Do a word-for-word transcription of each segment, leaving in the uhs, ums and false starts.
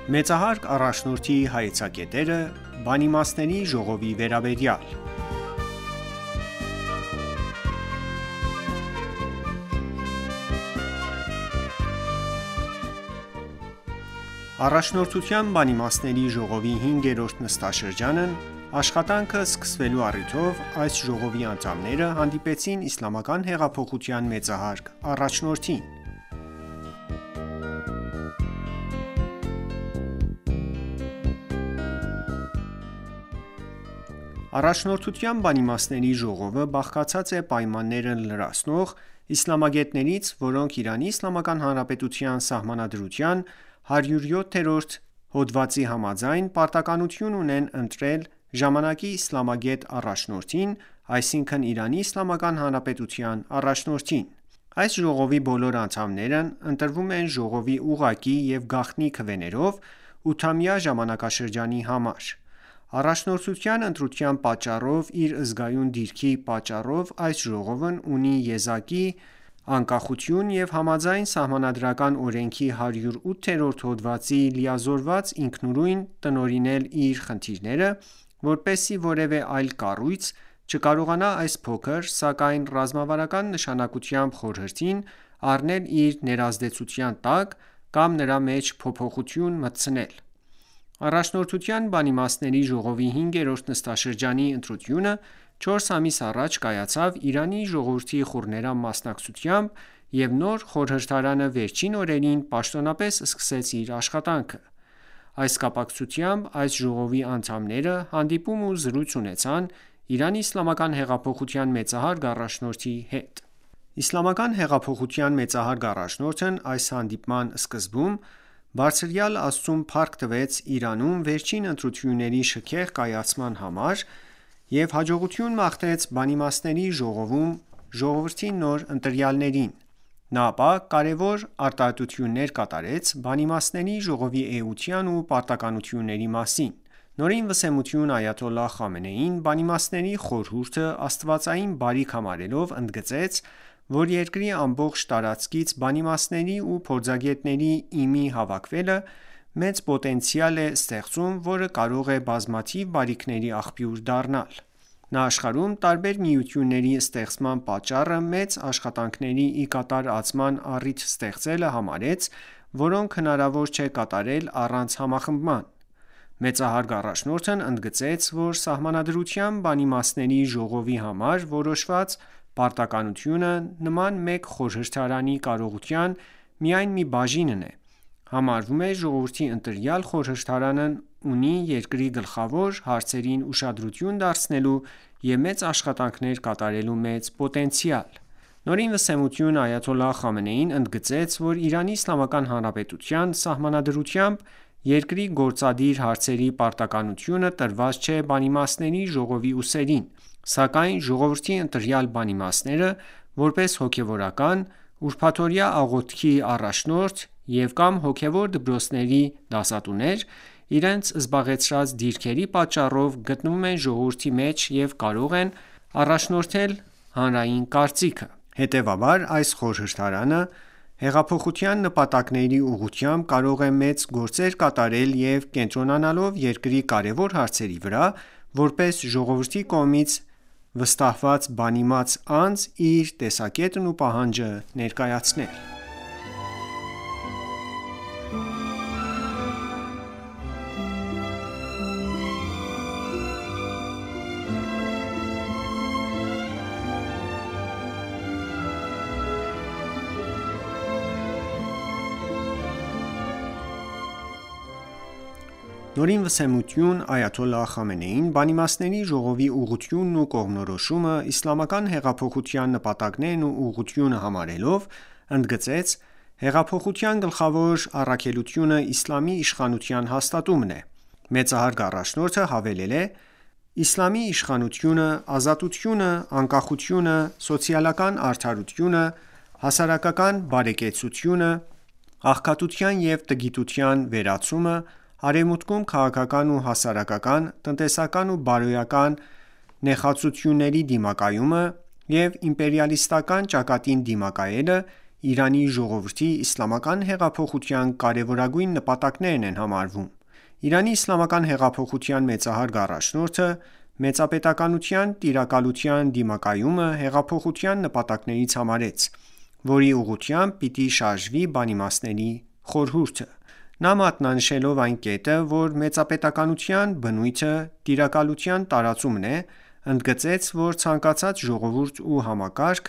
Մեծահարկ առաջնորդի հայեցակետերը բանիմաստների ժողովի վերաբերյալ Առաջնորդության բանիմաստների ժողովի հինգերորդ նստաշրջանն աշխատանքը սկսվելու առիթով այս ժողովի անդամները հանդիպեցին իսլամական հեղափոխության մեծահարկ առաջնորդին: Առաջնորդության բանիմաստների ժողովը բաղկացած է պայմանները լրացնող իսլամագետներից, որոնք Իրանի Իսլամական Հանրապետության Սահմանադրության հարյուրյոթերորդ հոդվածի համաձայն պարտականություն ունեն ընտրել ժամանակի իսլամագետ առաջնորդին, այսինքն Իրանի Իսլամական Հանրապետության առաջնորդին: Այս ժողովի բոլոր անդամներն ընտրվում են ժողովի ուղղակի և գաղտնի քվեներով ութամյա ժամանակաշրջանի համար: Առաջնորդության ընտրության պատճառով իր զգայուն դիրքի պատճառով այս ժողովն ունի եզակի անկախություն և համաձայն Սահմանադրական օրենքի հարյուրութերորդ հոդվածի լիազորված ինքնուրույն տնօրինել իր խնդիրները, որպեսզի որևէ այլ կառույց չկարողանա այս փոքր, սակայն ռազմավարական նշանակությամբ խորհրդին առնել իր ներազդեցության տակ կամ նրա մեջ փոփոխություն մտցնել: Առաջնորդության բանիմաստների ժողովի հինգերորդ նստաշրջանի ընտրությունը չորս ամիս առաջ կայացավ Իրանի ժողովրդի խուռներամ մասնակցությամբ և նոր խորհրդարանը վերջին օրերին պաշտոնապես սկսեց իր աշխատանքը: Այս կապակցությամբ այս ժողովի անդամները հանդիպում ու զրույց ունեցան Իրանի իսլամական հեղափոխության մեծահարկ առաջնորդի հետ: Իսլամական հեղափոխության մեծահարկ առաջնորդն այս հանդիպման սկզբում բարձրյալ Աստծուն փառք տվեց Իրանում վերջին ընտրությունների շքեղ կայացման համար և հաջողություն մաղթեց բանիմաստների ժողովում ժողովրդի նոր ընտրյալներին: Նա ապա կարևոր արտահայտություններ կատարեց բանիմաստների ժողովի էության ու պարտականությունների մասին: Նորին վսեմություն Այաթոլլահ Խամենեին բանիմաստների խորհուրդը աստվածային բարիք համարելով ընդգծեց, որ երկրի ամբողջ տարածքից բանիմաստների ու փորձագետների ի մի հավաքվելը մեծ պոտենցիալ է ստեղծում, որը կարող է բազմաթիվ բարիքների աղբյուր դառնալ: Նա աշխարհում տարբեր միությունների ստեղծման պատճառը մեծ աշխատանքների ի կատար ածման առիթ ստեղծելը համարեց, որոնք հնարավոր չէ կատարել առանց համախմբման: Մեծահարկ առաջնորդն ընդգծեց, որ Սահմանադրության բանիմաստների ժողովի համար որոշված պարտականությունը նման մեկ խորհրդարանի կարողության միայն մի բաժինն է: Համարվում է ժողովրդի ընտրյալ խորհրդարանն ունի երկրի գլխավոր հարցերին ուշադրություն դարձնելու և մեծ աշխատանքներ կատարելու մեծ պոտենցիալ: Նորին վսեմություն Այաթոլլահ Խամենեին ընդգծեց, որ Իրանի Իսլամական Հանրապետության Սահմանադրությամբ երկրի գործադիր հարցերի պարտականությունը տրված չէ բանիմաստների ժողովի ուսերին, սակայն ժողովրդի ընտրյալ բանիմաստները, որպես հոգևորական, ուրբաթօրյա աղոթքի առաջնորդ և կամ հոգևոր դպրոցների դասատուներ, իրենց զբաղեցրած դիրքերի պատճառով գտնվում են ժողովրդի մեջ և կարող են առաջնորդել հանրային կարծիքը: Հետևաբար այս խորհրդարանը հեղափոխության նպատակների ուղղությամբ կարող է մեծ գործեր կատարել և կենտրոնանալով երկրի կարևոր հարցերի վրա, որպես ժողովրդի կողմից վստահված բանիմաց անձ իր տեսակետն ու պահանջը ներկայացնել: Նորին վսեմություն Այաթոլլահ Խամենեին բանիմաստների ժողովի ուղղությունն ու կողմնորոշումը իսլամական հեղափոխության նպատակներն ու ուղղությունը համարելով, ընդգծեց. «Հեղափոխության գլխավոր առաքելությունը իսլամի իշխանության հաստատումն է»: Մեծահարկ առաջնորդը հավելել է. «Իսլամի իշխանությունը, ազատությունը, անկախությունը, սոցիալական արդարությունը, հասարակական բարեկեցությունը, աղքատության և տգիտության վերացումը, Արևմուտքում քաղաքական ու հասարակական, տնտեսական ու բարոյական նեխածությունների դիմակայումը և իմպերիալիստական ճակատին դիմակայելը Իրանի ժողովրդի իսլամական հեղափոխության կարևորագույն նպատակներն են համարվում։ Իրանի իսլամական հեղափոխության մեծահարգ առաջնորդը մեծապետականության տիրակալության դիմակայումը հեղափոխության նպատակներից համարեց, որի ուղղությամբ պիտի շարժվի բանիմացների խորհուրդը։ Նա մատնանշելով այն կետը, որ մեծապետականության բնույթը տիրակալության տարածումն է, ընդգծեց, որ ցանկացած ժողովուրդ ու համակարգ,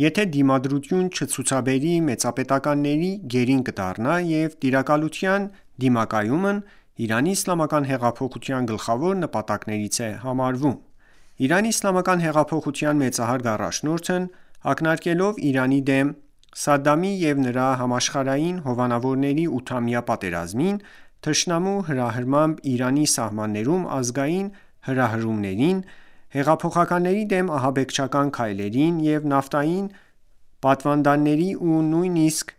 եթե դիմադրություն չցուցաբերի մեծապետականների գերին կդառնա և տիրակալության դիմակայումն Իրանի իսլամական հեղափոխության գլխավոր նպատակներից է համարվում։ Իրանի իսլամական հեղափոխության մեծահարգ առաջնորդն ակնարկելով Իրանի դեմ Սադամի և նրա համաշխարհային հովանավորների ութամյա պատերազմին, թշնամու հրահրմամբ Իրանի սահմաններում ազգային հրահրումներին, հեղափոխականների դեմ ահաբեկչական քայլերին և նավթային պատվանդանների ու նույնիսկ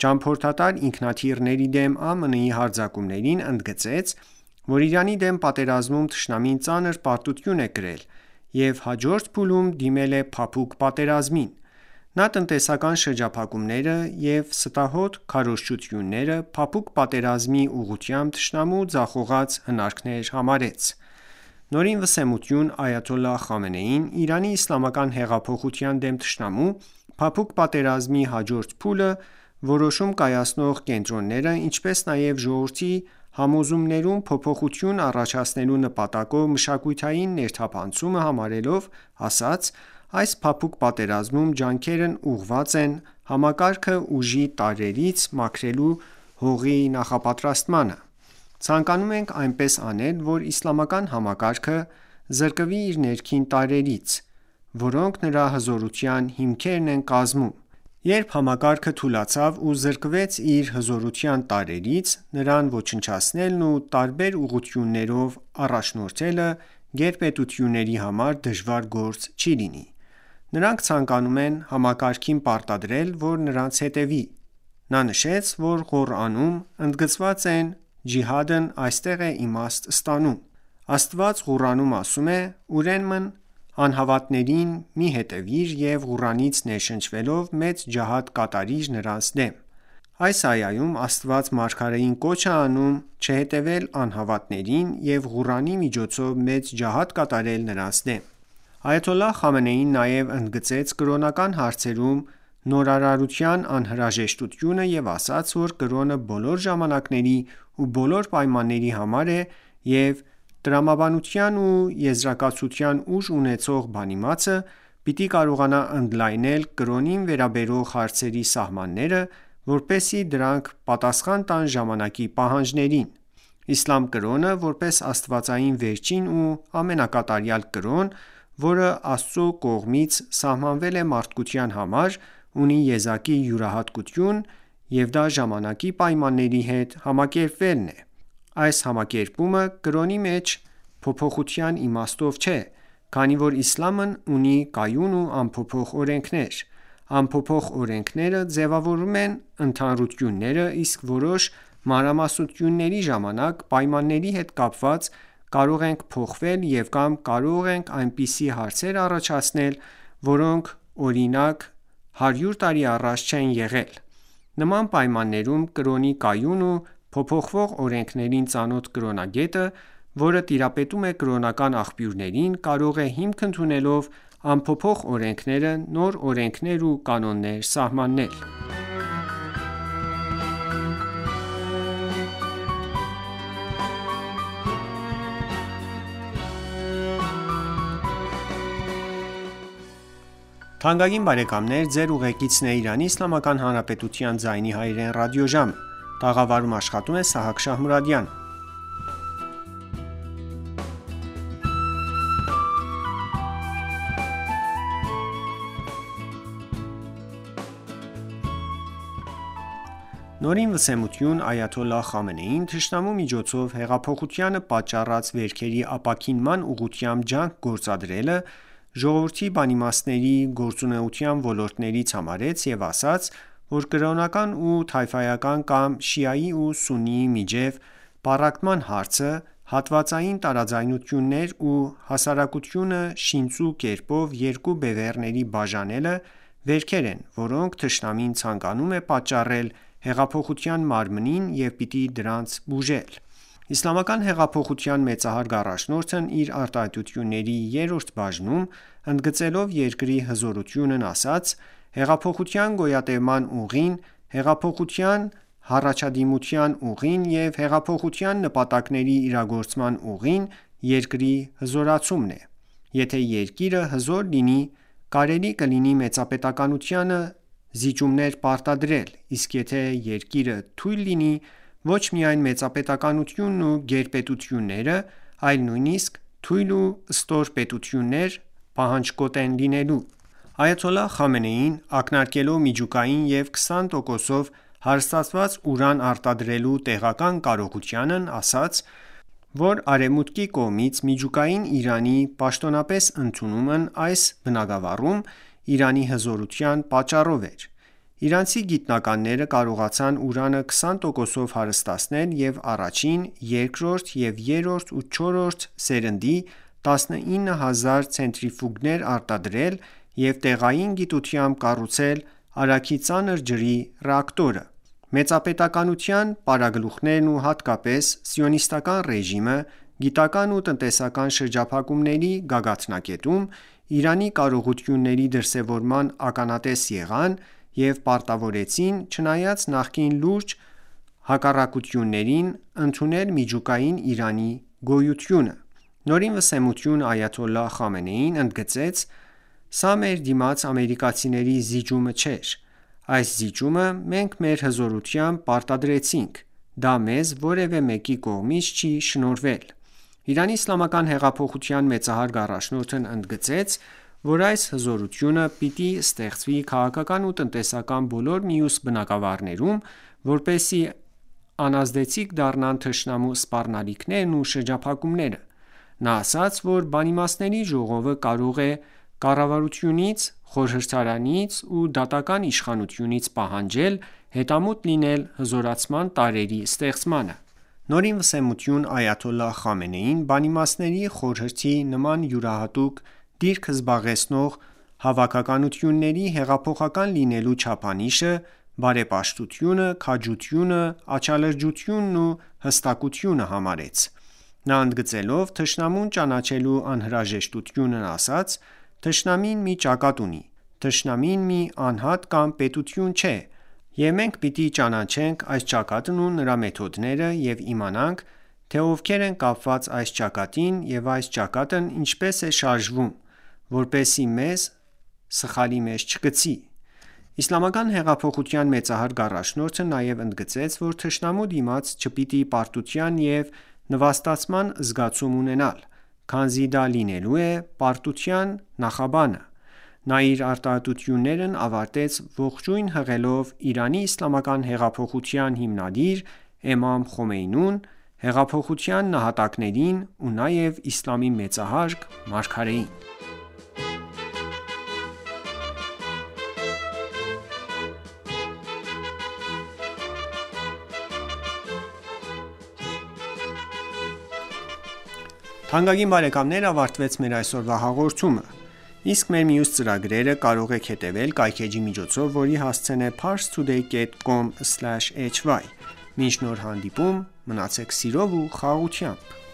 ճամփորդատար ինքնաթիռների դեմ ԱՄՆ-ի հարձակումներին, ընդգծեց, որ Իրանի դեմ պատերազմում թշնամին ծանր պարտություն է կրել և հաջորդ փուլում դիմել է փափուկ պատերազմին։ Նա տնտեսական շրջափակումները և ստահոդ քարոզչությունները փափուկ պատերազմի ուղղությամբ թշնամու ձախողած հնարքներ համարեց։ Նորին վսեմություն Այաթոլլահ Խամենեին Իրանի իսլամական հեղափոխության դեմ թշնամու փափուկ պատերազմի հաջորդ փուլը որոշում կայացնող կենտրոնները, ինչպես նաև ժողովրդի համոզումներում փոփոխություն առաջացնելու նպատակով մշակութային ներթափանցումը համարելով, ասաց. «Այս փափուկ պատերազմում ջանքերն ուղղված են համակարգը ուժի տարրերից մաքրելու հողի նախապատրաստմանը։ Ցանկանում ենք այնպես անել, որ իսլամական համակարգը զրկվի իր ներքին տարրերից, որոնք նրա հզորության հիմքերն են կազմում։ Երբ համակարգը թուլացավ ու զրկվեց իր հզորության տարրերից, նրան ոչնչացնելն ու տարբեր ուղղություններով առաջնորդելը գերպետությունների համար դժվար գործ չի լինի։ Նրանք ցանկանում են համակարգին պարտադրել, որ նրանց հետևի»։ Նա նշեց, որ Ղուրանում ընդգծված է ջիհադն այստեղ է իմաստ ստանում։ Աստված Ղուրանում ասում է. «Ուրեմն անհավատներին մի հետևիր և Ղուրանից ներշնչվելով մեծ ջիհադ կատարիր նրանց դեմ»։ Այս այայում Աստված մարգարեին կոչ է անում չհետևել անհավատներին և Ղուրանի միջոցով մեծ ջիհադ կատարել նրանց դեմ։ Այաթոլլահ Խամենեին նաև ընդգծեց կրոնական հարցերում նորարարության անհրաժեշտությունը և ասաց, որ կրոնը բոլոր ժամանակների ու բոլոր պայմանների համար է և տրամաբանության ու եզրակացության ուժ ունեցող բանիմացը պիտի կարողանա ընդլայնել կրոնին վերաբերող հարցերի սահմանները, որպեսզի դրանք պատասխան տան ժամանակի պահանջներին։ Իսլամ կրոնը, որպես աստվածային վերջին ու ամենակատարյալ կրոն, որը Աստծո կողմից սահմանվել է մարդկության համար, ունի եզակի յուրահատկություն և դա ժամանակի պայմանների հետ համակերպվելն է։ Այս համակերպումը կրոնի մեջ փոփոխության իմաստով չէ, քանի որ իսլամն ունի կայուն ու անփոփոխ օրենքներ։ Անփոփոխ օրենքները ձևավորում են ընդհանրությունները, իսկ որոշ մանրամասնությունների ժամանակ պայմանների հետ կապված կարող են փոխվել և կամ կարող են այնպիսի հարցեր առաջացնել, որոնք օրինակ հարյուր տարի առաջ չեն եղել։ Նման պայմաններում կրոնի կայուն ու փոփոխվող օրենքներին ծանոթ կրոնագետը, որը տիրապետում է կրոնական աղբյուրներին, կարող է հիմք ընդունելով անփոփոխ օրենքները նոր օրենքներ ու կանոններ սահմանել։ Նորին վսեմություն Այաթոլլահ Խամենեին թշնամու միջոցով հեղափոխությանը պատճառած վերքերի ապաքինման ուղղությամբ ջանք գործադրելը ժողովրդի բանիմացների գործունեության ոլորտներից համարեց և ասաց, որ կրոնական ու թայֆայական կամ շիայի ու սուննիի միջև պառակտման հարցը, հատվածային տարաձայնություններ ու հասարակությունը շինծու կերպով երկու բևեռների բաժանելը վերքեր են, որոնք թշնամին ցանկանում է պատճառել հեղափոխության մարմնին և պիտի դրանց բուժել: Իսլամական հեղափոխության մեծահարգ առաջնորդն իր արտահայտությունների երրորդ բաժնում, ընդգծելով երկրի հզորությունն, ասաց. «Հեղափոխության գոյատևման ուղին, հեղափոխության առաջադիմության ուղին և հեղափոխության նպատակների իրագործման ուղին երկրի հզորացումն է: Եթե երկիրը հզոր լինի, կարելի կլինի մեծապետականությանը զիջումներ պարտադրել, իսկ եթե երկիրը թույլ լինի, ոչ միայն մեծապետականությունն ու գերպետությունները, այլ նույնիսկ թույլ ու ստոր պետություններ պահանջկոտ են լինելու»: Այաթոլլահ Խամենեին, ակնարկելով միջուկային և քսան տոկոսով հարստացված ուրան արտադրելու տեղական կարողությանն, ասաց, որ Արևմուտքի կողմից միջուկային Իրանի պաշտոնապես ընդունումն այս բնագավառում Իրանի հզորության պատճառով էր: Իրանցի գիտնականները կարողացան ուրանը քսան տոկոսով հարստացնել և առաջին, երկրորդ և երրորդ ու չորրորդ սերնդի տասնինը հազար ցենտրիֆուգներ արտադրել և տեղային գիտությամբ կառուցել Արագի ծանր ջրի ռեակտորը: Մեծապետականության պարագլուխներն ու հատկապես Սիոնիստական ռեժիմը գիտական ու տնտեսական շրջափակումների գագաթնակետում Իրանի կարողությունների դրսևորման ականատես եղան և պարտավորվեցին չնայած նախկին լուրջ հակառակություններին ընդունել միջուկային Իրանի գոյությունը: Նորին վսեմություն Այաթոլլահ Խամենեին ընդգծեց. «Սա մեր դիմաց ամերիկացիների զիջումը չէր: Այս զիջումը մենք մեր հզորությամբ պարտադրեցինք: Դա մեզ որևէ մեկի կողմից չի շնորհվել»: Իրանի իսլամական հեղափոխության մեծահարգ առաջնորդն ընդգծեց, որ այս հզորությունը պիտի ստեղծվի քաղաքական ու տնտեսական բոլոր մյուս բնագավառներում, որպեսզի անազդեցիկ դառնան թշնամու սպառնալիքներն ու շրջափակումները: Նա ասաց, որ Բանիմացների ժողովը կարող է կառավարությունից, խորհրդարանից ու դատական իշխանությունից պահանջել հետամուտ լինել հզորացման տարրերի ստեղծմանը: Նորին վսեմություն Այաթոլլահ Խամենեին Բանիմացների խորհրդի նման յուրահատուկ դիրք զբաղեցնող հավաքականությունների հեղափոխական լինելու չափանիշը բարեպաշտությունը, քաջությունը, աչալրջությունն ու հստակությունը համարեց: Նա ընդգծելով թշնամուն ճանաչելու անհրաժեշտությունն, ասաց. «Թշնամին մի ճակատ ունի: Թշնամին մի անհատ կամ պետություն չէ և մենք պիտի ճանաչենք այս ճակատն ու նրա մեթոդները և իմանանք, թե ովքեր են կապված այս ճակատին և այս ճակատն ինչպես է շարժվում, որպեսզի մեզ սխալի մեջ չգցի»: Իսլամական հեղափոխության մեծահարգ առաջնորդը նաև ընդգծեց, որ թշնամու դիմաց չպիտի պարտության և նվաստացման զգացում ունենալ, քանզի դա լինելու է պարտության նախաբանը: Նա իր արտահայտություններն ավարտեց ողջույն հղելով Իրանի իսլամական հեղափոխության հիմնադիր իմամ Խոմեյնուն, հեղափոխության նահատակներին ու նաև իսլամի մեծահարգ մարգարեին: Թանկագին բարեկամներ ավարտվեց մեր այսօրվա հաղորդումը: Իսկ մեր մյուս ծրագրերը կարող եք հետևել կայքէջի միջոցով, որի հասցեն է parstoday dot com slash hy: Մինչ նոր հանդիպում, մնացեք սիրով ու խաղաղությամբ: